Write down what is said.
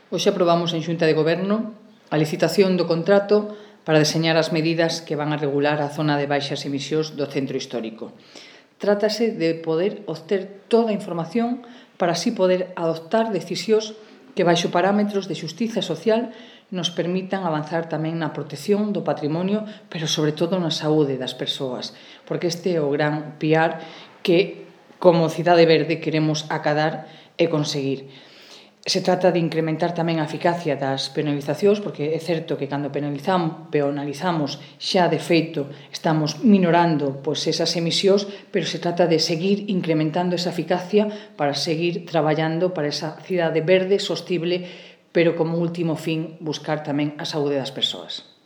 Hoxe aprobamos en Xunta de Goberno a licitación do contrato para deseñar as medidas que van a regular a zona de baixas emisións do centro histórico. Trátase de poder obter toda a información para así poder adoptar decisións que baixo parámetros de xustiza social nos permitan avanzar tamén na protección do patrimonio, pero sobre todo na saúde das persoas, porque este é o gran piar que, como Cidade Verde, queremos acadar e conseguir. Se trata de incrementar tamén a eficacia das penalizacións, porque é certo que cando penalizamos xa de feito estamos minorando esas emisións, pero se trata de seguir incrementando esa eficacia para seguir traballando para esa cidade verde, sostible, pero como último fin buscar tamén a saúde das persoas.